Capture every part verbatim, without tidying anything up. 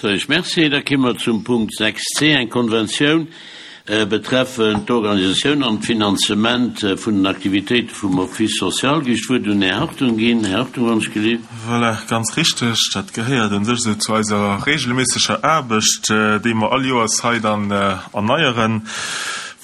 Soen ech Merci. Da ki mer zum Punkt sechs c, eng Konventioun betreffend d'Organisatioun an d'Finanzement vun den Aktivitéite vum Office social. Géif ech d'Wuert un den Här Hartung ginn. Här Hartung, wann ech gelift. Voilà, ganz richteg. Dat gehéiert un sech esou zu eiser regelméisseger Aarbecht, déi mer all Joers hei dann erneieren.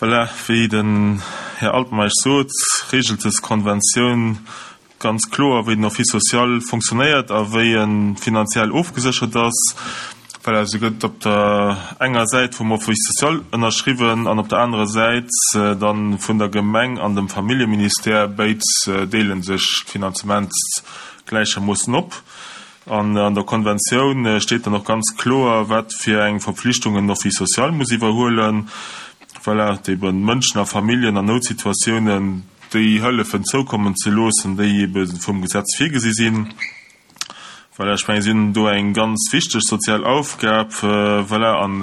Voilà, wéi den Här Altmeisch sot, regelt des Konventioun ganz kloer, wéi den Office social fonctionnéiert a wéi e finanziell ofgeséchert ass. Voilà, se gëtt op der enger Säit vum Office social ënnerschriwwen an op der anerer Säit dann vun der Gemeng an dem Familljeministère. Béid deele sech d'Finanzement gläichermoossen op. An an der Konventioun steet dann och ganz kloer, wat fir eng Verpflichtungen den Office social muss iwwerhuelen. Voilà, eben Mënschen a Familljen an Noutsituatiounen déi Hëllefen zoukommen ze loossen, déi ebe vum Gesetz virgesi sinn. Voilà, ech mengen, si hunn do eng ganz wichteg sozial Aufgab, voilà, an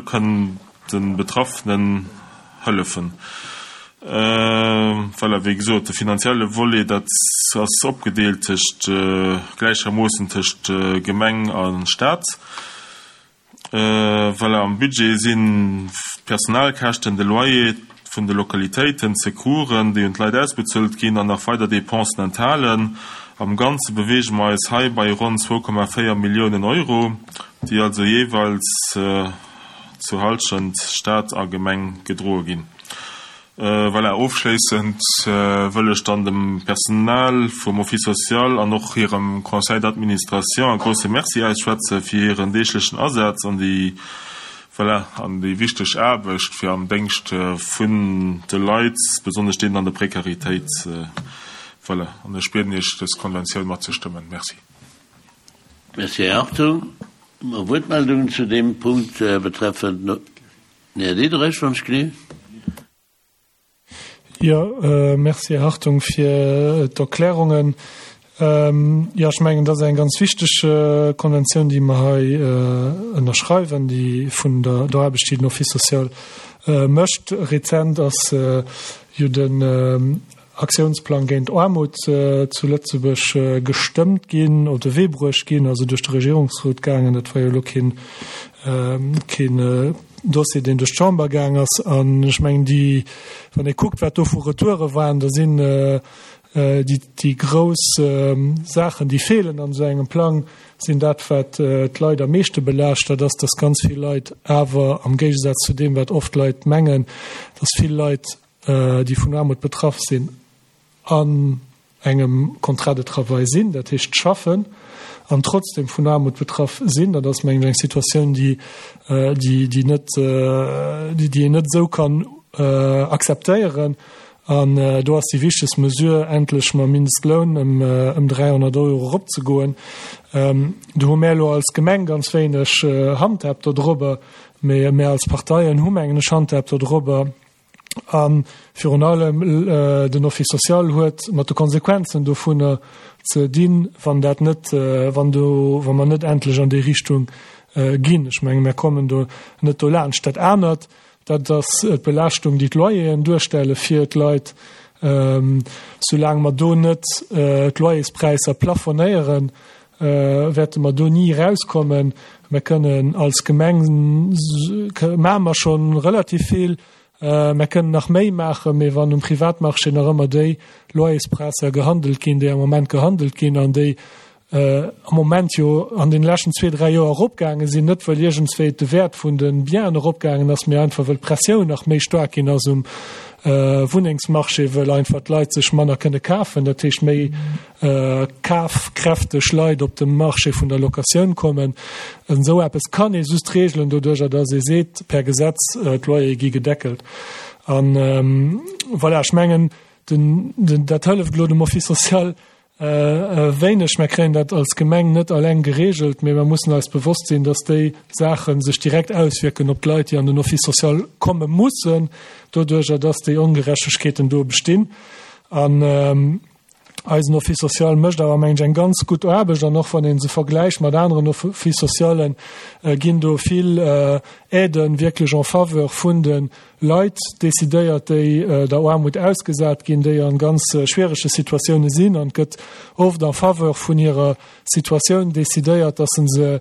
kënnen de Betraffenen hëllefen. Voilà, wéi gesot, de finanzielle Volet, dat ass opgedeelt tëscht, gläichermoossen tëscht Gemeng a Staat. Voilà, am Budget sinn d'Personalkäschten, de Loyer vun de Lokalitéiten, d'Secoursen, déi un d'Leit ausbezuelt ginn, an nach weider Dépensen enthalen. Am Ganze beweege mer eis hei bei ronn zwou Komma véier Milliounen Euro, déi also jeeweils zur Hallschent Staat a Gemeng gedroe ginn. Voilà, ofschléissend wëll ech dann dem Personal vum Office social an och hirem Conseil d'administration e grouse Merci ausschwätze fir hiren deeglechen Asaz an déi, voilà, an déi wichteg Aarbecht fir am Déngscht vun de Leit, besonnesch deenen an der Prekaritéit. Voilà, an ech bieden Iech, dës Konventioun matzestëmmen. Merci. Merci, Här Hartung. Hu mer Wuertmeldungen zu deem Punkt betreffend den Här Diderich, wann ech gelift? Jo, merci, Här Hartung, fir d'Erklärungen. Jo, ech mengen, dat ass eng ganz wichteg Konventioun, déi mer hei ënnerschreiwen, déi vun der Aarbecht, déi den Office social mécht. Rezent ass jo den Aktiounsplang géint Aarmut zu Lëtzebuerg gestëmmt ginn, op de Wee bruecht ginn, also duerch de Regierungsrot gaangen. Dat war jo elo keen, keen Dossier, deen duerch d'Chamber gaang ass. An ech mengen, déi, wann ee kuckt, wat do vu Retoure waren, da sinn déi, déi grouss Saachen, déi feelen an esou engem Plang, sinn dat, wat d'Leit am meeschte belaascht, dat ass, dass ganz vill Leit awer, am Géigesaz zu deem, wat oft Leit mengen, dass vill Leit, déi vun Aarmut betraff sinn, an engem Contrat de travail sinn, dat heescht schaffen, an trotzdem vun Aarmut betraff sinn. Dat ass, mengen ech, eng Situatioun, déi, déi, déi net, déi, déi een net esou kann akzeptéieren. An do ass déi wichtegst Mesure, endlech mam Mindestloun ëm, ëm dräihonnert Euro eropzegoen. Do hu mär elo als Gemeng ganz wéineg Handhab dodrobber, mee mär als Parteien hu, mengen ech, Handhab dodrobber. A virun allem den Office social huet mat de Konsequenzen dovunner ze dinn, wann dat net, wann do, wa mer net endlech an déi Richtung ginn. Ech menge mer kommen do net dolaanscht. Dat anert, dat ass d'Belaaschtung, déi d'Loyeren duerstelle fir d'Leit. Soulaang mer do net d'Loyerspräisser plafonéieren, wäerte mer do ni erauskommen. Mer kënnen als Gemeng, maache mer scho relativ vill, Mer kënnen nach méi maachen, mee wann um Privatmarché nach ëmmer déi Loyerspräisser gehandelt ginn, déi am Moment gehandelt ginn an déi am Moment jo an den leschten zwee, dräi Joer eropgaange sinn, net wëll iergendswéi de Wäert vun de Bienen eropgaangen ass, mee einfach wëll d'Pressioun nach méi staark ginn ass um Wunnengsmarché, wëll einfach d'Leit sech manner kënne kafen, dat heescht méi kafkräfteg Leit op de Marché vun der Locatioun kommen. Esou eppes kann ee just regelen doduercher, datt ee seet, per Gesetz, d'Loyere gi gedeckelt. An voilà, ech mengen, den, den, dat hëlleft elo dem Office social wéineg. Mer kréien dat als Gemeng net alleng geregelt, mee mer mussen eis bewosst sinn, datt déi Saache sech direkt auswierken op d'Leit, déi an den Office social komme mussen, doduercher, datt déi Ongerechtegkeeten do bestinn. An Eisen Office social mécht awer, mengen ech, eng ganz gutt Aarbecht an och wann ee se vergläicht mat aneren Office socialen, ginn do vill Aiden wierklech en faveur vun de Leit decidéiert, déi der Aarmut ausgesat ginn, déi an ganz schwierege Situatioune sinn an et gëtt oft en faveur vun hirer Situatioun decidéiert, dass se se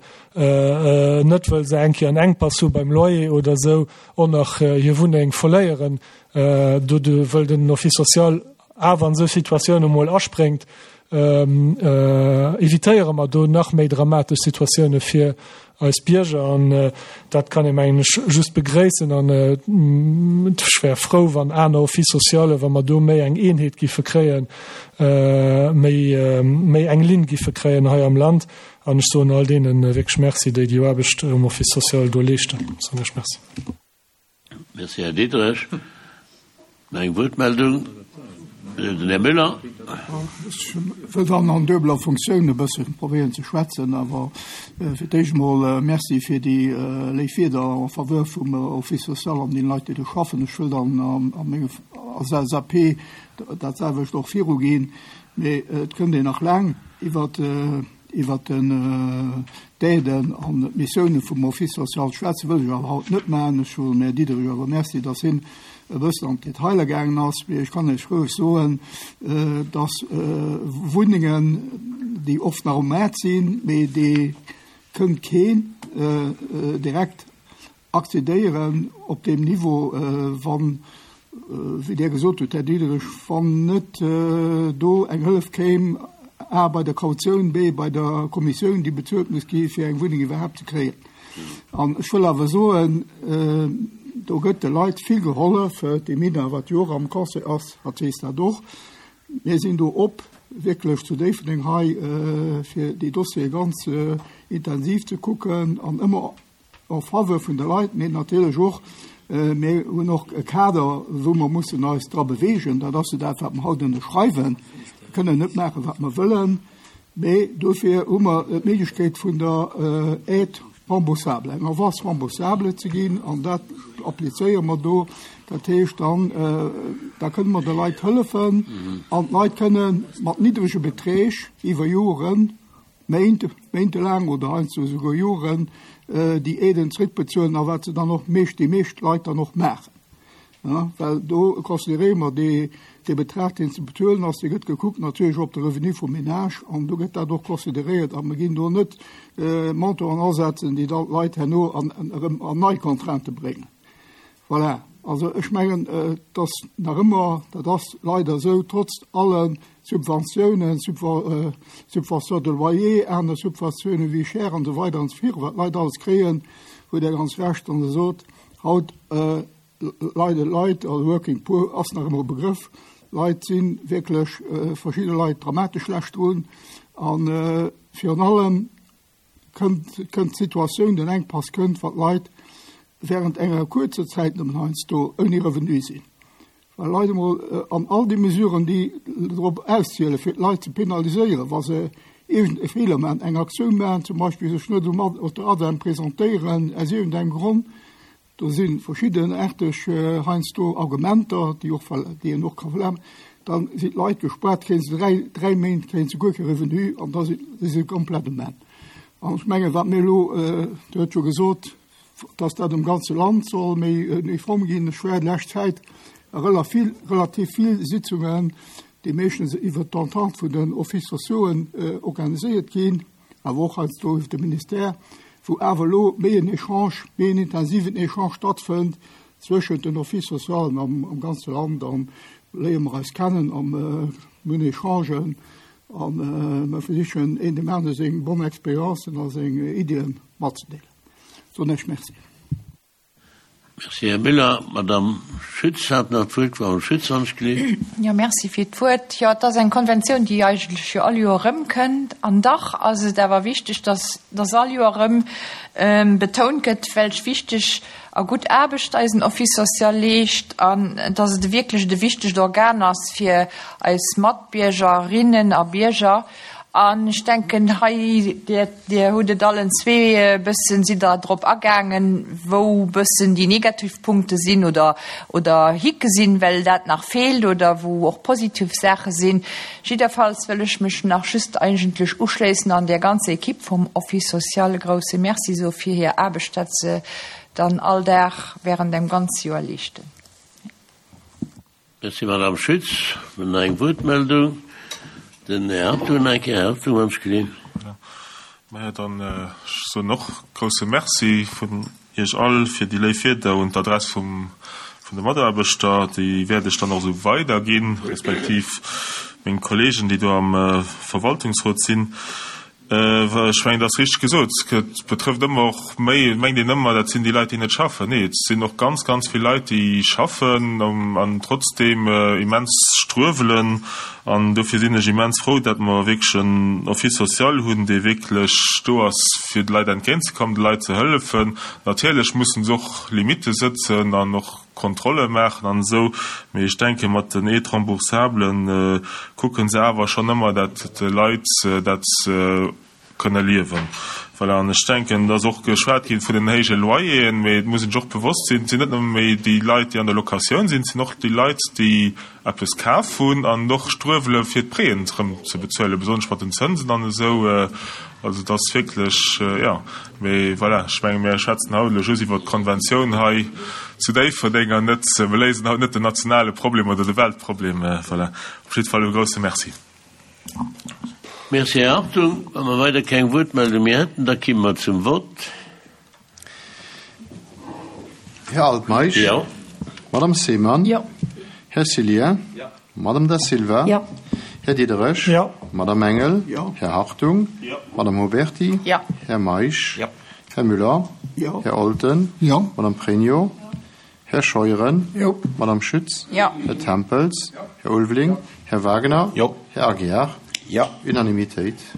net, wëll se eng Kéier en Enkpass hu beim Loyer oder esou, och nach hir Wunneng verléieren, do wëll den Office social awer an esou Situatioune mol aspréngt, evitéiere mer do nach méi dramatesch Situatioune fir eis Bierger. An dat kann ee, mengen ech, just begréissen. An ech wär frou, wann aner Office sociale, wa mer do méi eng Eenheet giffe kréien, méi, méi eng Linn giffe kréien hei am Land. An ech soen all deene wierklech Merci, déi déi Aarbecht um Office social do leeschten. Soen ech Merci. Merci, Här Diderich. Nach eng Wuertmeldung? Den Här Müller. Ech wëll dann an duebeler Funktioun e bësse probéieren ze schwätzen, awer fir d'éischt emol Merci fir déi léif Wierder en faveur vum Office social an deene Leit, déi do schaffen. Ech wëll dann a menge als L S A P dat selwecht och viruginn. Mee et kënnt een nach laang iwwert iwwert den d'Aiden an d'Missioune vum Office social schwätzen, wëll ech awer haut net maachen. Ech soen dem Här Diderich awer Merci, dass hien e bëssen an d'Detailer gaangen ass. Mee ech kann Iech roueg soen, dass Wunnengen, déi oft nach um Maart sinn, mee déi kënnt keen direkt accédéieren op deem Niveau, wann, wéi Dir gesot hutt, Här Diderich, wann net do eng Hëllef kéim, A bei der Kautioun, B bei der Kommissioun, déi bezuelt muss gi fir eng Wunneng iwwerhaapt ze kréien. An ech wëll awer soen, do gëtt de Leit vill gehollef. D'Emina, wat jo och am Conseil ass, hat weess dat och. Mir sinn do op wierklech zu Déifferdeng hei, fir déi Dossiere ganz intensiv ze kucken an ëmmer en faveur vun de Leit, mee natierlech och, mir hunn och e Kader, wou mer mussen eis dra beweegen. Dat ass jo dat, wat mer haut ënnerschreiwen. Mir kënnen net maachen, wat mer wëllen, mee dofir hu mer d'Méiglechkeet vun der Aide remboursable, eng Avance remboursable ze ginn, an dat applizéiere mer do. Dat heescht dann, da kënne mer de Leit hëllefen an d'Leit kënne mat niddrege Beträg iwwer Joren, Méint, méintelaang oder heiansdo esouguer Joren, déi Aiden zréckbezuelen, a wat se dann och meescht, déi meescht Leit dann och maachen. Well do consideréiere mer dee, dee Betrag, deen ze bezuelen ass, dee gëtt gekuckt natierlech op de Revenu vum Ménage, an do gëtt dat och consideréiert, a mer ginn do net Montanten asetzen, déi dann d'Leit herno an, erëm an nei Contraintë bréngen. Voilà. Also ech mengen, et ass nach ëmmer, dat ass leider esou, trotz alle Subventiounen, Subvention de loyer, aner Subventiounen, Vie chère an esou weider an esou virun, wat d'Leit alles kréien, hutt Der ganz Recht, wann Der sot, haut leiden d'Leit, also working poor ass nach ëmmer e Begrëff, Leit si wierklech, verschidde Leit dramatesch schlecht drun. A virun allem kënnt, kënnt d'Situatioun, den Enkpass kënnt, wa d'Leit während enger kuerzer Zäit nëmmen heiansdo ouni Revenu sinn. Well Leit emol an all déi Mesuren, déi drop auszielen, fir d'Leit ze penaliséieren, wa se iergend e Feeler maachen, eng Aktioun maachen, zum Beispill sech net um op der ADEM presentéieren aus iergendengem Grond, do si verschiddenaarteg heiansdo Argumenter, déi och, déi een och ka verlaangen, da sinn d'Leit gespaart, kréie se dräi, dräi Méint kréie se guer kee Revenu an da si se komplett um Enn. An ech mengen, wat mir elo, Dir hutt jo gesot, dass dat um ganze Land soll méi uniform ginn. Ech war d'lescht Zäit a relativ vill Sitzungen, déi meeschtens iwwert d'Entente vun den Offices sociauxen organiséiert ginn, awer och heiansdo iwwer de Ministère, wou awer elo méi en Échange, méi en intensiven Échange stattfënnt zwëschent den Offices sociauxen am ganze Land. A léiere mer eis kennen a mir hunn Échangen a mer versichen een dem anere seng bonne Expériencen a seng Iddien matzedeelen. Soen ech Merci. Merci, Här Müller. Madame Schütz hat nach d'Wuert. Frau Schütz, wann ech geleet. Jo, merci fir d'Wuert. Jo, et ass eng Konventioun, déi eigentlech jo all Joer erëmkënnt. An dach ass et awer wichteg, dass, dass all Joer erëm betount gëtt, welch wichteg a gutt Aarbecht eisen Office social leescht an dass et wierklech e wichtegt Organ ass fir eis Matbiergerinnen a Bierger. An ech denken hei Dir, Dir hutt et allen zwee e bëssen, sidd Der drop agaangen, wou bëssen déi negativ Punkte sinn oder, oder Hicke sinn, well dat nach feelt oder wou och positiv Saache sinn. Jiddwerfalls wëll ech mech nach just eigentlech uschléissen an der ganzer Ekipp vum Office social e grouse Merci soe fir hir Aarbecht, dat se dann all Dag während dem ganze Joer leeschten. Merci, Madame Schütz. Mir hunn nach eng Wuertmeldung. Den Här Hartung nach eng Kéier. Här Hartung, wann ech gelinn. Maja, dann ech soen och grouse Merci vun Iech all fir déi léif Wierder un d'Adress vum, vun de Mataarbechter. Déi wäert ech dann och esou weiderginn, respektiv meng Kollegen, déi do am Verwaltungsrot sinn. Ech mengen, et ass richteg gesot, et betrëfft ëmmer och méi, et mengt een ëmmer, dat sinn déi Leit, déi net schaffen. Nee, et sinn och ganz, ganz vill Leit, déi schaffen an trotzdeem immens struewelen. An dofir sinn ech immens frou, datt mer wierklech en Office social hunn, dee wierklech do ass, fir de Leit entgéintzekommen, de Leit ze hëllefen. Natierlech mussen se och Limitte sëtzen an och Kontrolle maachen an esou, mee ech denke mat den Aides remboursables kucke se awer schonn ëmmer, dat d'Leit dat kënne liewen. Voilà, an ech denken, et ass och geschwat gi vun den héije Loyeren, mee et muss een sech och bewosst sinn, et sinn net nëmme méi déi Leit, déi an der Locatioun sinn, et sinn och déi Leit, déi eppes kaf hunn an och struewele fir d'Prêten erëm ze bezuelen, besonnesch mat den Zënsen an esou. Also et ass wierklech, jo, mee voilà, ech menge mir schwätzen haut elo just iwwert d'Konventioun hei zu Déifferdeng an net, mir léisen haut net den nationale Problem oder de Weltproblem. Voilà, op jidde Fall e grouse Merci. Merci, Här Hartung. Wa mer weider keng Wuertmeldung méi hätten, da kimme mer zum Vott. Här Altmeisch. Jo. Madame Seemann. Jo. Här Cillien. Jo. Madame Da Silva. Jo. Här Diderich. Jo. Madame Engel. Jo. Här Hartung. Jo. Madame Huberty. Jo. Här Meisch. Jo. Här Müller. Jo. Här Olten. Jo. Madame Pregno. Här Scheuren. Jo. Madame Schütz. Jo. Här Tempels. Här Ulveling. Här Wagener. Jo. Här Aguiar. Jo. Unanimitéit.